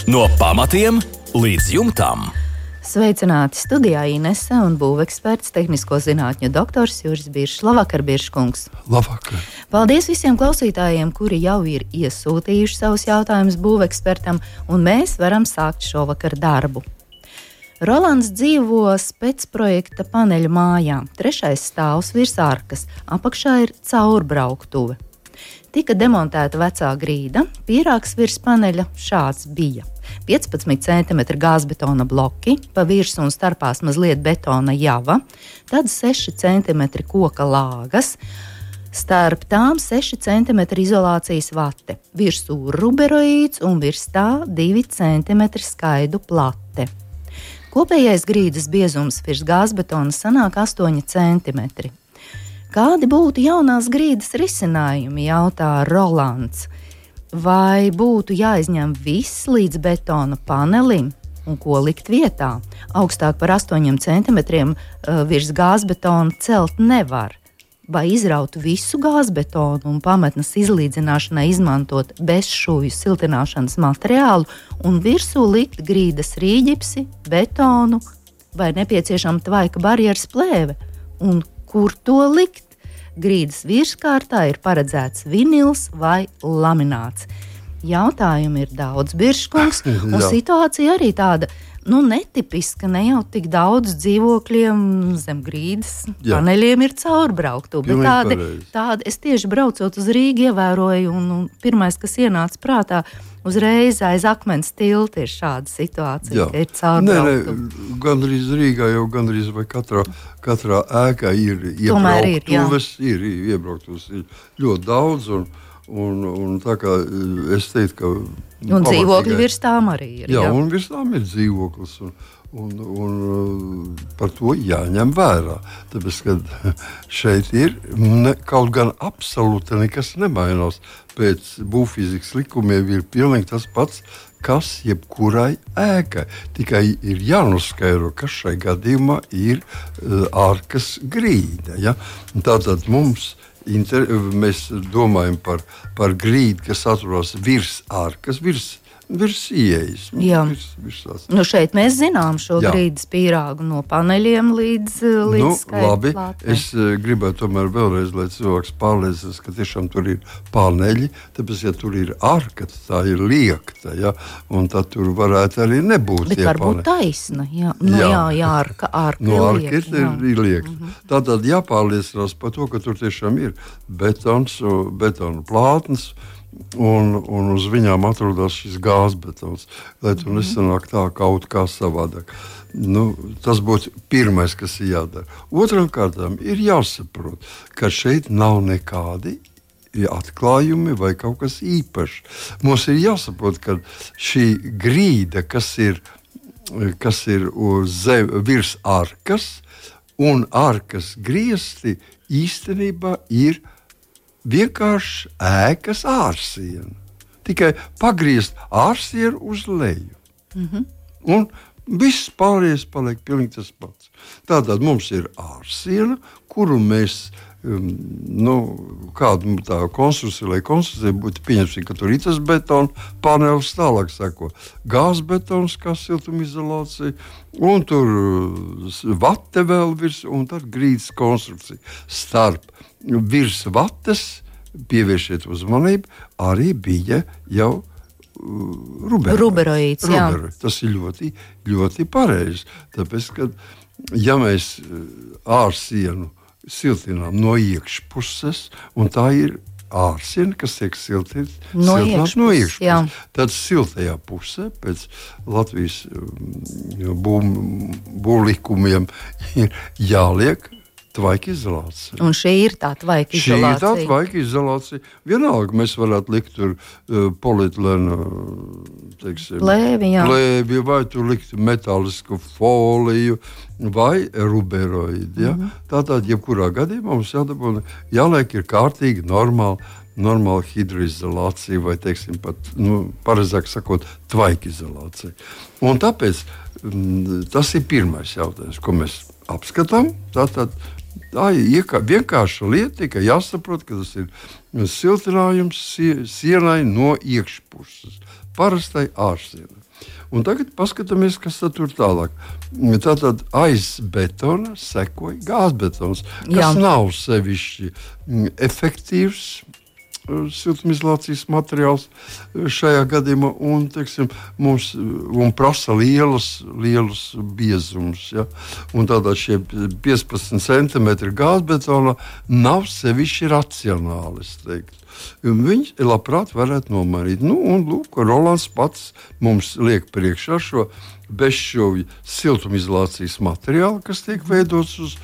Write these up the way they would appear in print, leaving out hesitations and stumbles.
No pamatiem līdz jumtam. Sveicināti studijā Inese un būveksperts, tehnisko zinātņu doktors Juris Biršs. Labvakar, Birškungs! Labvakar! Paldies visiem klausītājiem, kuri jau ir iesūtījuši savus jautājumus būvekspertam, un mēs varam sākt šovakar darbu. Rolands dzīvo specprojekta paneļa mājā. 3. stāvs virs arkas, apakšā ir caurbrauktuve. Tika demontēta vecā grīda, pīrāgs virs paneļa šāds bija. 15 cm gāzbetona bloki, pa virsmu un starpās mazliet betona java, tad 6 cm koka lāgas, starp tām 6 cm izolācijas vate, virsū ruberoīds un virs tā 2 cm skaidu plate. Kopējais grīdas biezums virs gāzbetona sanāk 8 cm. Kādi būtu jaunās grīdas risinājumi, jautā Rolands. Vai būtu jāizņem viss līdz betona panelim un ko likt vietā? Augstāk par 8 cm virs gāzbetona celt nevar. Vai izraut visu gāzbetonu un pamatnes izlīdzināšanai izmantot bezšūju siltināšanas materiālu un virsū likt grīdas rīģipsi, betonu vai nepieciešama tvaika barjeras plēve? Un kur to likt? Grīdas virskārtā ir paredzēts vinils vai lamināts. Jautājumi ir daudz, Birškungs, un situācija arī tāda, netipiska, ne jau tik daudz dzīvokļiem zem grīdas paneļiem ir caurbrauktu, bet tādi es tieši braucot uz Rīgu ievēroju, un pirmais, kas ienāca prātā, uzreiz aiz akmens tilta ir šāda situācija, ka ir caurbrauktu. Gandrīz Rīgā jau gandrīz vai katrā ēkā ir iebrauktuves, ir iebrauktuves ir ļoti daudz, un tā kā es teiktu, ka... Un dzīvokļi virs tām arī ir. Jā, un virs tām ir dzīvoklis, un par to jāņem vērā. Tāpēc, ka šeit ir, kaut gan absolūti nekas nemainās. Pēc būvfizikas likumiem ir pilnīgi tas pats, kas jebkurai ēkai. Tikai ir jānoskaidro, kas šai gadījumā ir ārkas grīda. Ja? Tātad mēs domājam par grīdu, kas atrodas virs ārkas, virs ieejas. Šeit mēs zinām šo grīdas pīrāgu no paneļiem līdz labi. Es gribētu tomēr vēlreiz, lai cilvēks pārliecinās, ka tiešām tur ir paneļi, tāpēc, ja tur ir arka, tā ir liekta, ja? Un tad tur varētu arī nebūt. Bet varbūt taisna, arka ir liekta. Tātad jāpārliecinās par to, ka tur tiešām ir betona plātnes, un uz viņām atrodas šis gāzbetons, lai tur nesanāk tā kaut kā savādāk. Tas būtu pirmais, kas ir jādara. Otram kārtām ir jāsaprot, ka šeit nav nekādi atklājumi vai kaut kas īpašs. Mums ir jāsaprot, ka šī grīda, kas ir virs arkas un arkas griesti, īstenībā ir vienkārši ēkas ārsiena. Tikai pagriezt ārsienu uz leju. Un viss pārējais paliek pilnīgi tas pats. Tātad mums ir ārsiena, kuru mēs, kāda tā konstrukcija, lai konstrukcija būtu pieņemsim, ka tur ir tas betona panelis, tālāk sako gāzbetons, kā siltumizolācija, un tur vate vēl virs, un tad grīdas konstrukcija. Starp virs vates, pievēršiet uzmanību, arī bija jau ruberoīds. Tas ir ļoti, ļoti pareizi. Tāpēc, ka ja mēs ārsienu siltinām no iekšpuses, un tā ir ārsiena, kas tiek siltināta no iekšpuses. Tad siltajā pusē pēc Latvijas būvlikumiem ir jāliek tvaika izolācija. Un šī ir tā tvaika izolācija. Šī ir tā tvaika izolācija. Vienalga mēs varētu likt tur polietilēna plēvi, vai tur likt metālisku foliju, vai ruberoīdu. Ja? Tātad, jebkurā gadījumā mums jāliek ir kārtīgi normāla hidroizolācija, vai teiksim pat, pareizāk sakot, tvaika izolācija. Un tāpēc tas ir pirmais jautājums, ko mēs apskatām. Tā ir vienkārša lieta, tikai jāsaprot, ka tas ir siltinājums sienai no iekšpuses. parastai ārsienai. Un tagad paskatāmies, kas tur tālāk. Tātad aiz betona sekoja gāzbetons, kas nav sevišķi efektīvs siltumizolācijas materiāls šajā gadījumā un, teiksim, mums prasa lielus biezumus. Ja? Un tādā šie 15 centimetri gāzbetona nav sevišķi racionāli, es teiktu. Viņš labprāt varētu nomainīt. Nu, un lūk, Rolands pats mums liek priekšā šo bezšķovju siltumizolācijas materiālu, kas tiek veidots uz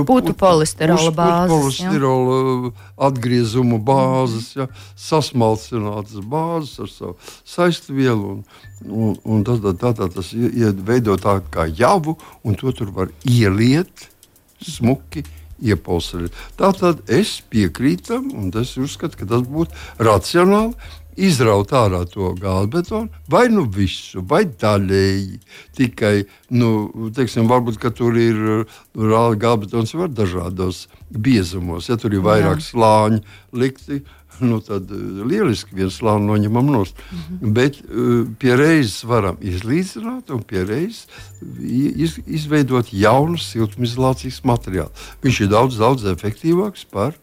putu polistirola bāzes. Polistirola atgriezumu bāzes, ja, sasmalcinātas bāzes ar savu saistvielu. Un tad tas veido tā kā javu, un to tur var ieliet smuki. Tātad es piekrītu, un es uzskatu, ka tas būtu racionāli izraut ārā to gāzbetonu, vai nu visu, vai daļēji. Tikai, teiksim, varbūt, ka tur ir gāzbetons var dažādos biezumos. Ja tur ir vairāk slāņi likti, tad lieliski viens slāni noņemam nost. Bet pie reizes varam izlīdzināt un pie reizes izveidot jaunu siltumizolācijas materiālu. Viņš ir daudz efektīvāks par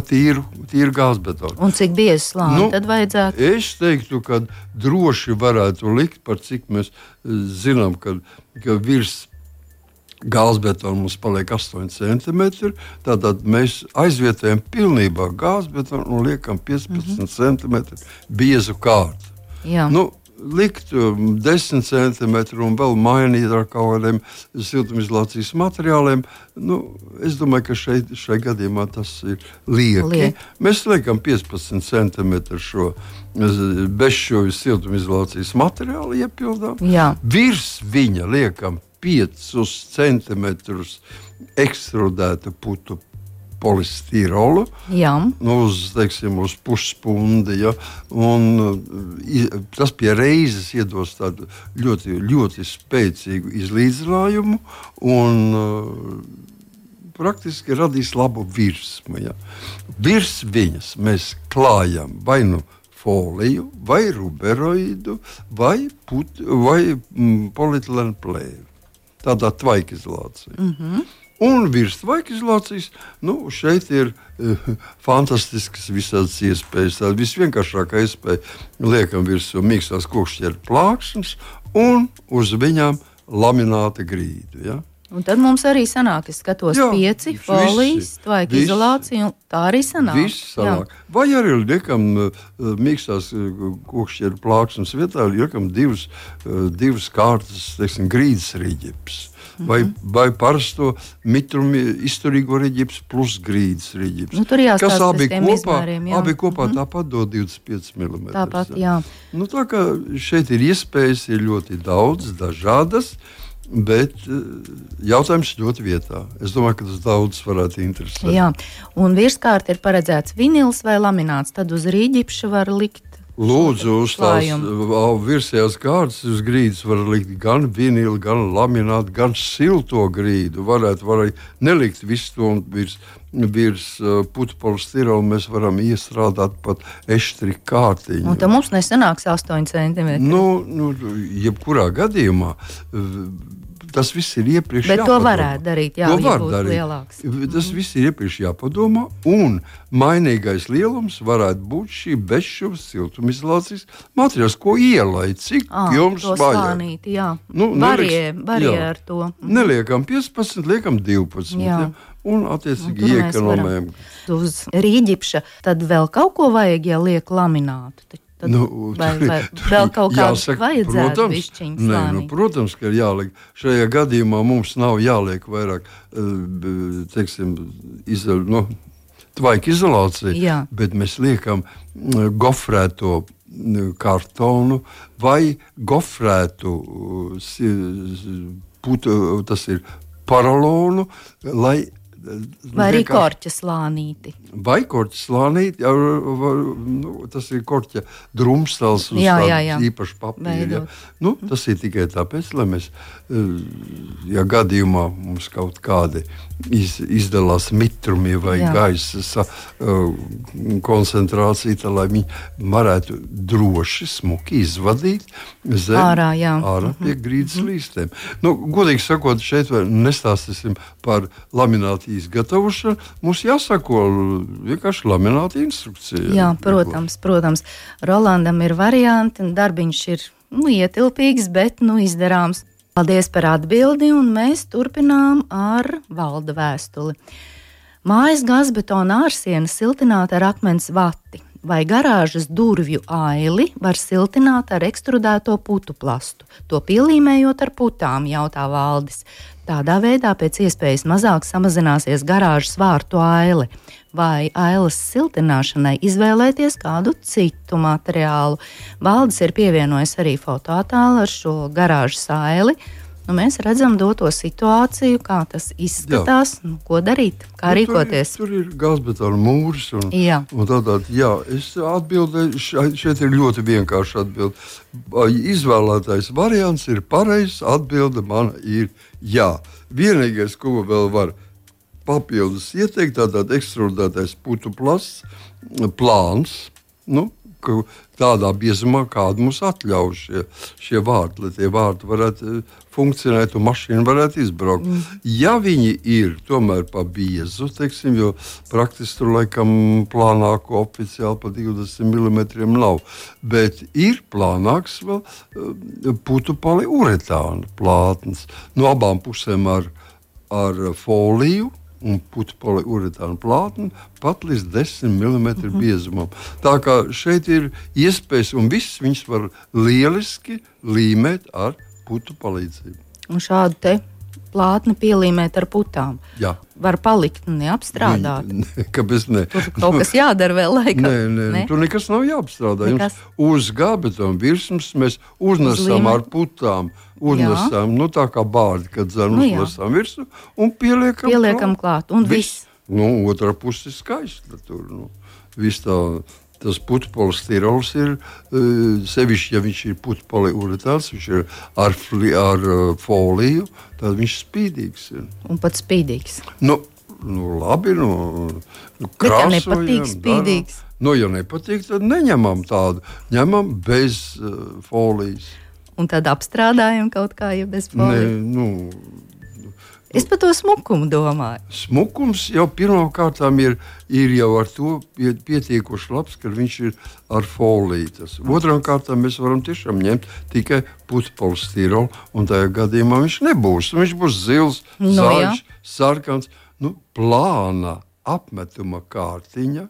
tīru gāzbetonu. Un cik biezi slāni tad vajadzētu? Es teiktu, ka droši varētu likt, par cik mēs zinām, ka virs gāzbetona mums paliek 8 centimetri. Tātad mēs aizvietojam pilnībā gāzbetonu un liekam 15 centimetri biezu kārtu. Likt 10 centimetru un vēl mainīt ar kaut kādiem siltumizolācijas materiāliem. Es domāju, ka šai gadījumā tas ir lieki. Mēs liekam 15 centimetru šo bezšķovju siltumizolācijas materiālu iepildām. Virs viņa liekam 5 centimetrus ekstrudētu putu polistirolu uz puspundi. Ja? Tas pie reizes iedos tādu ļoti, ļoti spēcīgu izlīdzinājumu un praktiski radīs labu virsmu. Ja? Virs viņas mēs klājam vai nu foliju, vai ruberoidu, vai polietilēnu plēvi. Tādā tvaikizolācija. Un virs tvaikizolācijas šeit ir fantastiskas visādas iespējas. Tā visvienkāršākā iespēja liekam virsū mīkstās kokšķieru plāksnes un uz viņām lamināta grīdu. Ja? Un tad mums arī sanāk, es skatos 5 folijas, tvaikizolācija, un tā arī sanāk. Viss sanāk. Vai arī liekam mīkstās kokšķieru plāksnes vietā, liekam divas kārtas, teiksim, grīdas riģips. Vai parasto mitrumu izturīgo riģips plus grīdas riģips. Tur jāstāsta kas pēc tiem izmēriem. Abi kopā tāpat dod 25 mm. Tāpat, jā. Tā kā šeit ir iespējas, ir ļoti daudz, dažādas. Bet jautājums ļoti vietā. Es domāju, ka tas daudz varētu interesēt. Jā, un virskārt ir paredzēts vinils vai lamināts. Tad uz rīģipša var likt. Lūdzu, uz tās virsējās kārtas uz grīdas var likt gan vinilu, gan laminātu, gan silto grīdu. Varētu nelikt visu to virs putu polistirola. Mēs varam iestrādāt pat eštri kārtiņu. Un tad mums nesanāks 8 centimetri. Jebkurā gadījumā tas viss ir iepriekš jāpadomā. Bet to varētu darīt, ja būtu lielāks. Tas viss ir iepriekš jāpadomā, un mainīgais lielums varētu būt šī bezšķuvas siltumizolācijas materiāls, ko ielaid, cik jums vajag. Slānīt, jā. Varie ar to. Neliekam 15, liekam 12. Jā. Un attiecīgi iekonomējam. Uz rīģipša tad vēl kaut ko vajag, ja liek laminātu. Vai vēl kaut kādu vajadzētu višķiņu slānīt? Protams, ka ir jāliek. Šajā gadījumā mums nav jāliek vairāk, teiksim, tvaikizolācija, bet mēs liekam gofrēto kartonu vai gofrētu putu, tas ir paralonu, lai Vai arī korķa slānīti. Vai korķa slānīti, tas ir korķa drumstals uz tādu īpašu papīru. Ja. Tas ir tikai tāpēc, lai mēs, ja gadījumā mums kaut kādi izdalās mitrumi vai gaisa koncentrācija, tā, lai viņi varētu droši, smuki izvadīt zem ārā pie grīdas līstiem. Godīgi sakot, šeit nestāstīsim par laminātu izgatavošanu. Mums jāsako vienkārši lamināta instrukcija. Jā, protams. Rolandam ir varianti, un darbiņš ir ietilpīgs, bet izdarāms. Paldies par atbildi, un mēs turpinām ar Valda vēstuli. Mājas gazbetona ārsienas siltināta ar akmens vati. Vai garāžas durvju aili var siltināt ar ekstrudēto putu plastu, to pielīmējot ar putām, jautā Valdis. Tādā veidā pēc iespējas mazāk samazināsies garāžas vārtu aile. Vai ailes siltināšanai izvēlēties kādu citu materiālu? Valdis ir pievienojis arī fotoattēlu ar šo garāžas aili. Mēs redzam doto situāciju, kā tas izskatās, ko darīt, kā rīkoties. Tur ir gazbetona mūris. Es atbildēju, šeit ir ļoti vienkārši atbilde. Izvēlētais variants ir pareizs, atbilde mana ir jā. Vienīgais, ko vēl var papildus ieteikt, tātad ekstrudētais putu plasts, plāns, tādā biezumā, kādu mums atļauj šie vārti, lai tie vārti varētu funkcionēt un mašīna varētu izbraukt. Ja viņi ir tomēr pa biezu, teiksim, jo praktiski tur laikam plānāko oficiāli pa 20 mm nav, bet ir plānāks vēl putu poliuretāna plātnes. No abām pusēm ar foliju un putu poliuretāna plātni pat līdz 10 mm biezumam. Tā kā šeit ir iespējas, un viss viņas var lieliski līmēt ar putu palīdzību. Un šādu te plātni pielīmēt ar putām. Jā. Var palikt neapstrādāt. Kāpēc ne? Tur kaut kas jādara vēl laikam. Nē. Tur nekas nav jāapstrādā. Jums uz gabetona virsmas mēs uznesam ar putām. Uznesam, tā kā bārdi, kad uznesam virsu un pieliekam klāt. Un viss. Otrā puse ir skaista. Tur, viss tā, tas putu polistirols ir, sevišķi, ja viņš ir putu poliuretāns, viņš ir ar foliju, tad viņš spīdīgs ir. Un pat spīdīgs. Labi, krāsojam. Bet ja nepatīk spīdīgs? Ja nepatīk, tad neņemam tādu. Ņemam bez folijas. Un tad apstrādājam kaut kā, ja bez folijas. Es par to smukumu domāju. Smukums jau pirmkārtām ir jau ar to pietiekoši labs, ka viņš ir ar foliju. Otrām kārtām mēs varam tiešām ņemt tikai putu polistirolu, un tajā gadījumā viņš nebūs. Viņš būs zils, zaļš, sarkans, plāna apmetuma kārtiņa.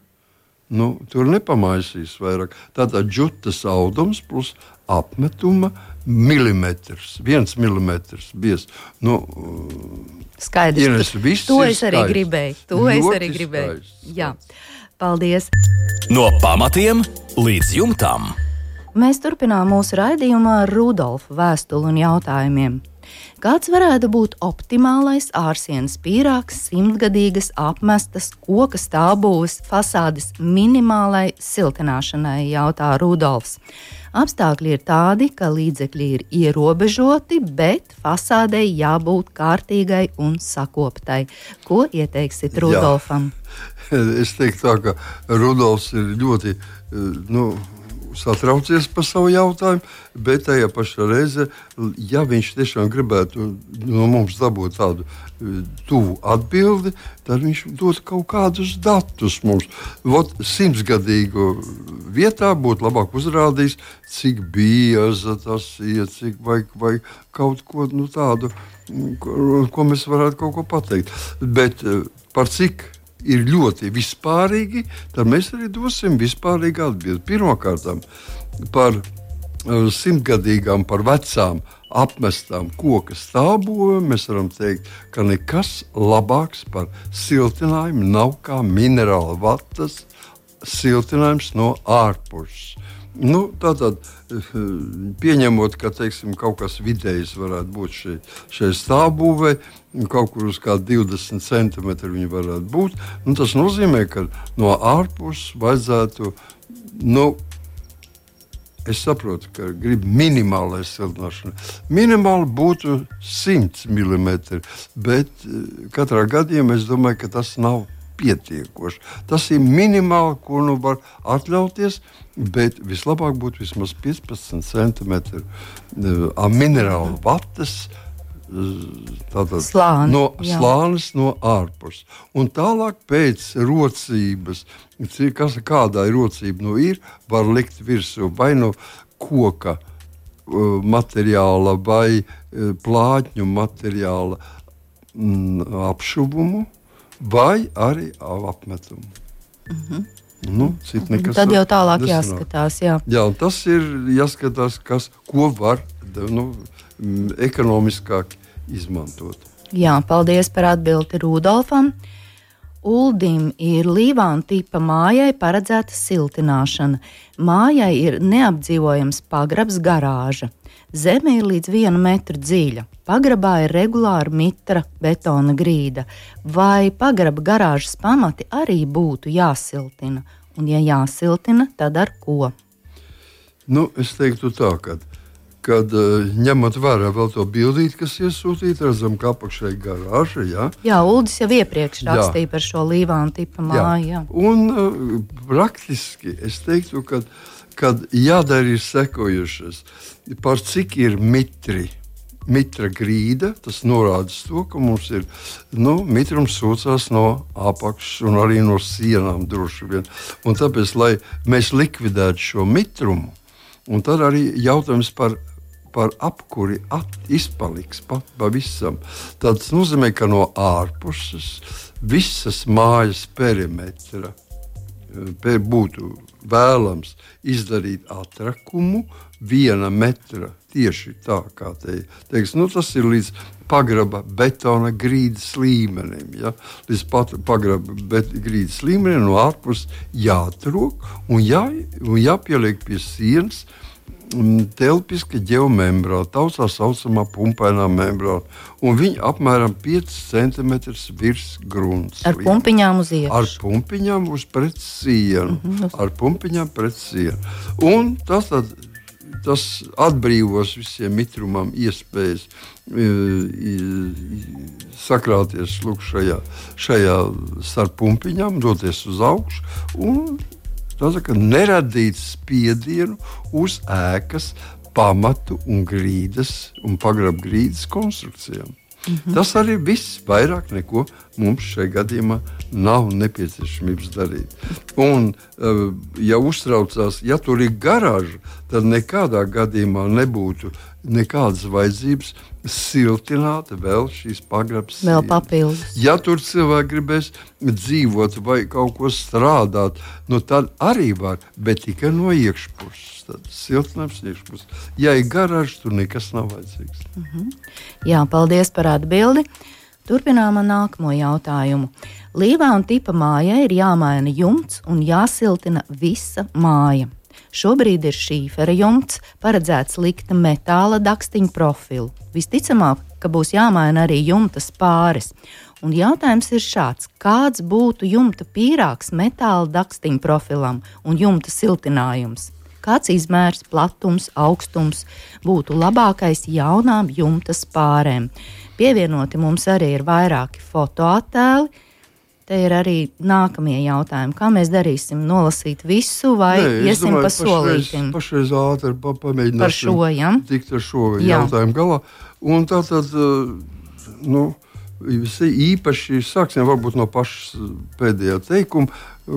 Tur nepamaisīs vairāk. Tātad džutas audums plus apmetuma milimetrs, 1 milimetrs biez. Skaidrs. To es arī gribēju. Jā, paldies. No pamatiem līdz jumtam. Mēs turpinām mūsu raidījumu ar Rudolfa vēstuli un jautājumiem. Kāds varētu būt optimālais ārsienas pīrāgs, 100-gadīgas apmestas koka stāvbūves fasādes minimālai siltināšanai, jautā Rudolfs. Apstākļi ir tādi, ka līdzekļi ir ierobežoti, bet fasādei jābūt kārtīgai un sakoptai. Ko ieteiksit Rudolfam? Es teiktu tā, ka Rudolfs ir ļoti satraucies par savu jautājumu, bet tajā pašā reizē, ja viņš tiešām gribētu no mums dabūt tādu tuvu atbildi, tad viņš dod kaut kādus datus mums. 100-gadīgu vietā būtu labāk uzrādījis, cik bieza tas ir, vai kaut ko tādu, ko mēs varētu kaut ko pateikt. Bet par cik ir ļoti vispārīgi, tad mēs arī dosim vispārīgu atbildi. Pirmkārt, par 100-gadīgām, par vecām apmestām koka stāvbūvēm mēs varam teikt, ka nekas labāks par siltinājumu nav kā minerāla vatas siltinājums no ārpuses. Tātad, pieņemot, ka teiksim, kaut kas vidējs varētu būt šai stāvbūvē, kaut kur uz kādu 20 centimetru viņi varētu būt, tas nozīmē, ka no ārpuses vajadzētu, es saprotu, ka grib minimālai siltināšana. Minimāli būtu 100 mm, bet katrā gadījumā es domāju, ka tas nav pietiekoši. Tas ir minimāli, ko var atļauties, bet vislabāk būtu vismaz 15 centimetri minerālu vatas slānis no ārpuses. Un tālāk pēc rocības, kādā rocība ir, var likt virsū vai no koka materiāla vai plātņu materiāla apšuvumu, vai arī apmetumu. Tad jau tālāk jāskatās. Jā, tas ir jāskatās, ko var ekonomiskāk izmantot. Jā, paldies par atbildi Rudolfam. Uldim ir Līvāna tipa mājai paredzēta siltināšana. Mājai ir neapdzīvojams pagrabs garāža. Zeme ir līdz 1 metru dziļa. Pagrabā ir regulāra mitra betona grīda. Vai pagraba garāžas pamati arī būtu jāsiltina? Un, ja jāsiltina, tad ar ko? Es teiktu tā, kad ņemot vērā vēl to bildīti, kas iesūtīta, redzam, ka apakšā ir garāža. Jā, Uldis jau iepriekš rakstīja par šo Līvāna tipa māju. Jā. Un praktiski es teiktu, kad jādara ir sekojušas, par cik ir mitra grīda, tas norāda to, ka mums ir mitrums sūcās no apakšas un arī no sienām droši vien. Un tāpēc, lai mēs likvidētu šo mitrumu, un tad arī jautājums par apkuri izpaliks pavisam. Tas nozīmē, ka no ārpuses visas mājas perimetra būtu vēlams izdarīt atrakumu 1 metra tieši tā, kā teiks. Tas ir līdz pagraba betona grīdas līmenim. Ja? Līdz pagraba grīdas līmenim no ārpuses jāatrok un jāpieliek pie sienas telpiska ģeomembrāna, tā saucamā pumpainā membrāna. Un viņa apmēram 5 cm virs grunts. Ar pumpiņām uz iekšā. Ar pumpiņām uz pret sienu. Ar pumpiņām pret sienu. Un tas atbrīvos visiem mitrumam iespējas sakrāties šajā starp pumpiņām, doties uz augšu un neradīt spiedienu uz ēkas pamatu un grīdas un pagraba grīdas konstrukcijām. Tas arī viss, vairāk neko mums šajā gadījumā nav nepieciešamības darīt. Un, ja uztraucās, ja tur ir garāža, tad nekādā gadījumā nebūtu nekādas vajadzības siltināt vēl šīs pagrabas. Vēl papildus. Ja tur cilvēki gribēs dzīvot vai kaut ko strādāt, tad arī var, bet tikai no iekšpuses. Tad siltinājums iekšpuses. Ja ir garāža, tur nekas nav vajadzīgs. Jā, paldies par atbildi. Turpinām ar nākamo jautājumu. Līvāna tipa mājai ir jāmaina jumts un jāsiltina visa māja. Šobrīd ir šīfera jumts, paredzēts likt metāla dakstiņu profilu. Visticamāk, ka būs jāmaina arī jumta spāris. Un jautājums ir šāds: kāds būtu jumta pīrāgs metāla dakstiņu profilam un jumta siltinājums? Kāds izmērs, platums, augstums būtu labākais jaunām jumta spārēm? Pievienoti mums arī ir vairāki fotoattēli. Te ir arī nākamie jautājumi. Kā mēs darīsim? Nolasīt visu vai iesim pa solītim? Pašreiz ātri pamēģināsim tikt ar šo jautājumu galā. Un tātad, īpaši sāksim varbūt no pašas pēdējā teikuma.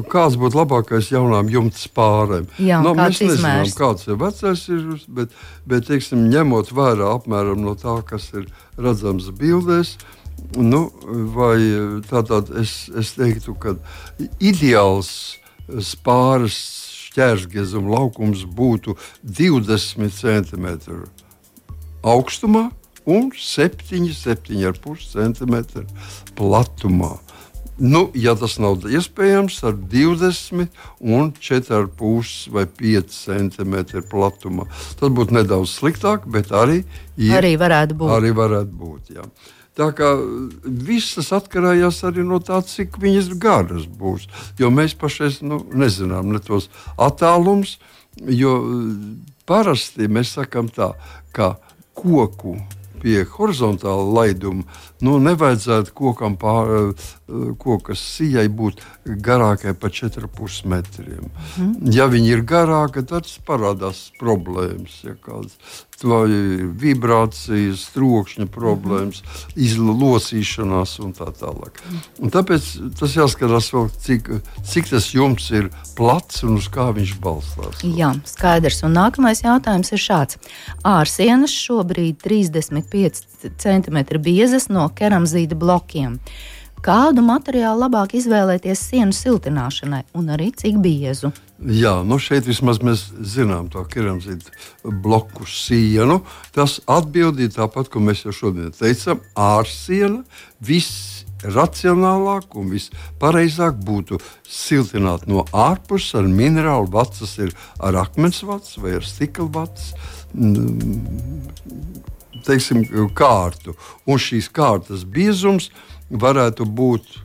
Kāds būtu labākais jaunām jumta spārēm? Jā, mēs nezinām, kāds ir vecais, bet teiksim, ņemot vērā apmēram no tā, kas ir redzams bildēs, vai tātad es teiktu, ka ideāls spāres šķērsgriezuma laukums būtu 20 cm augstumā un 7,5 cm platumā. Ja tas nav iespējams ar 20 un 4,5 vai 5 centimetru platumā, tas būtu nedaudz sliktāk, bet arī varētu būt. Jā. Tā kā visas atkarējās arī no tā, cik viņas garas būs. Jo mēs pašais nezinām ne tos attālums, jo parasti mēs sakām tā, ka koku pie horizontāla laiduma nevajadzētu kokas sijai būt garākai par 4,5 metriem. Ja viņi ir garāki, tad parādās problēmas, kādas vibrācijas, trokšņa problēmas, izlocīšanās un tā tālāk. Un tāpēc tas jāskatās vēl, cik tas jumts ir plats un uz kā viņš balstās. Jā, skaidrs. Un nākamais jautājums ir šāds. Ārsienas šobrīd 35 cm biezas no keramzīta blokiem. Kādu materiālu labāk izvēlēties sienu siltināšanai un arī cik biezu? Jā, šeit vismaz mēs zinām to keramzīta bloku sienu. Tas atbildīja tāpat, ko mēs jau šodien teicām, ārsiena visracionālāk un vispareizāk būtu siltināt no ārpuses ar minerālu vats, tas ir ar akmens vats vai ar stikla vats, kārtu. Un šīs kārtas biezums varētu būt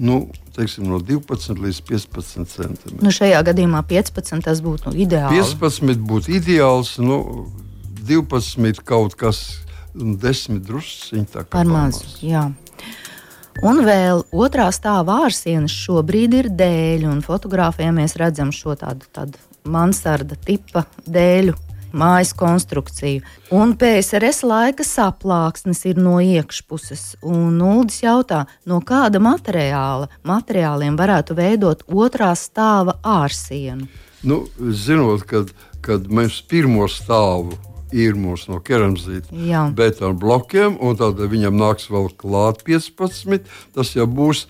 no 12 līdz 15 centimetriem. Šajā gadījumā 15 tas būtu ideāli. 15 būtu ideāls, 12 kaut kas, 10 drusciņi tā kā par maz. Jā. Un vēl otrā stāva ārsienas šobrīd ir dēļu, un fotogrāfijā mēs redzam šo tādu mansarda tipa dēļu mājas konstrukciju. Un PSRS laika saplāksnes ir no iekšpuses. Un Uldis jautā, no kāda materiāliem varētu veidot otrā stāva ārsienu? Zinot, kad mēs pirmo stāvu ir mūsu no keramzīta betona blokiem, un tad viņam nāks vēl klāt 15, tas jau būs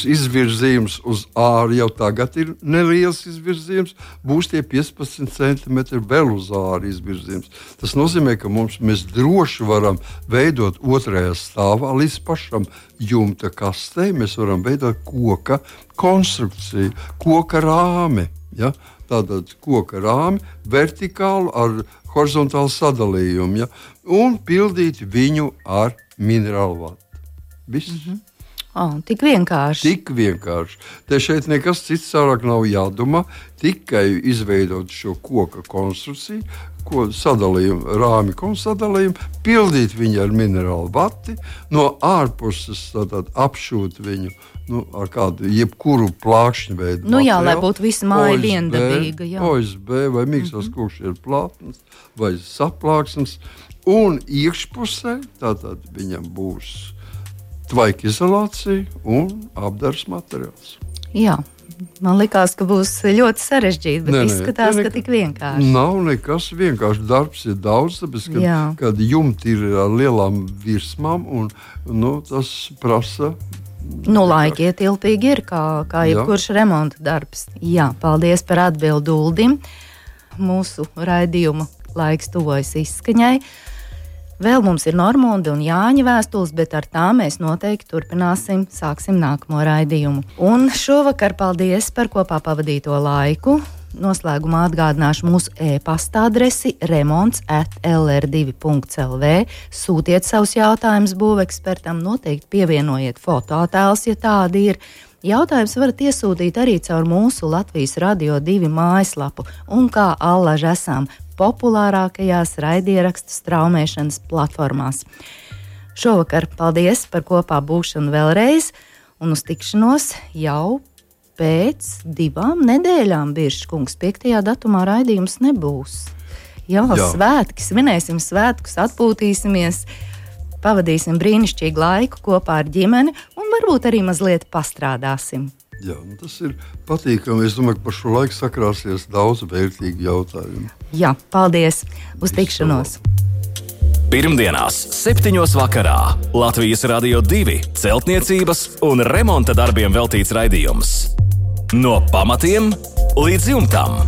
izvirzījums uz āru, jau tagad ir neliels izvirzījums, būs tie 15 centimetri vēl uz āru izvirzījums. Tas nozīmē, ka mēs droši varam veidot otrajā stāvā līdz pašam jumta kastei, mēs varam veidot koka konstrukciju, koka rāmi. Ja? Tātad koka rāmi vertikālu ar horizontālu sadalījumu, un pildīt viņu ar minerālu vatu. Viss. Tik vienkārši. Tik vienkārši. Te šeit nekas cits vairāk nav jādomā, tikai izveidot šo koka konstrukciju, sadalījumu, rāmi sadalījumu, pildīt viņu ar minerālu vati, no ārpuses apšūt viņu ar kādu jebkuru plākšņu veidu materiālu. Lai būtu visa māja viendabīga. OSB vai miksās kūkšķieru plātnes vai saplāksnes. Un iekšpusē tātad viņam būs tvaika izolācija un apdars materiāls. Jā. Man likās, ka būs ļoti sarežģīti, bet izskatās, ka tik vienkārši. Nav nekas vienkārši. Darbs ir daudz, tāpēc, kad jumti ir ar lielām virsmām, un tas prasa. Laikietilpīgi ir, kā jebkurš remonta darbs. Jā, paldies par atbildi Uldim. Mūsu raidījuma laiks tuvojas izskaņai. Vēl mums ir Normunda un Jāņa vēstules, bet ar tām mēs noteikti turpināsim, sāksim nākamo raidījumu. Un šovakar paldies par kopā pavadīto laiku. Noslēgumā atgādināšu mūsu e-pasta adresi remonts@lr2.lv. Sūtiet savus jautājumus būvekspertam, noteikti pievienojiet fotoattēlus, ja tādi ir. Jautājums varat iesūtīt arī caur mūsu Latvijas Radio 2 mājaslapu un kā allaž esam populārākajās raidierakstu straumēšanas platformās. Šovakar paldies par kopā būšanu vēlreiz un uz tikšanos jau pēc 2 nedēļām, Birškungs. 5. datumā raidījums nebūs. Jā. Svētki, svinēsim svētkus, atpūtīsimies, pavadīsim brīnišķīgu laiku kopā ar ģimeni un varbūt arī mazliet pastrādāsim. Jā, tas ir patīkami. Es domāju, ka par šo laiku sakrāsies daudz vērtīgu jautājumu. Jā, paldies. Uz tikšanos. Pirmdienās 7. vakarā Latvijas Radio 2 celtniecības un remonta darbiem veltīts raidījums. No pamatiem līdz jumtam.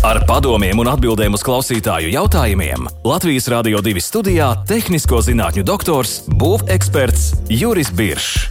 Ar padomiem un atbildēm uz klausītāju jautājumiem Latvijas Radio 2 studijā tehnisko zinātņu doktors, būveksperts Juris Biršs.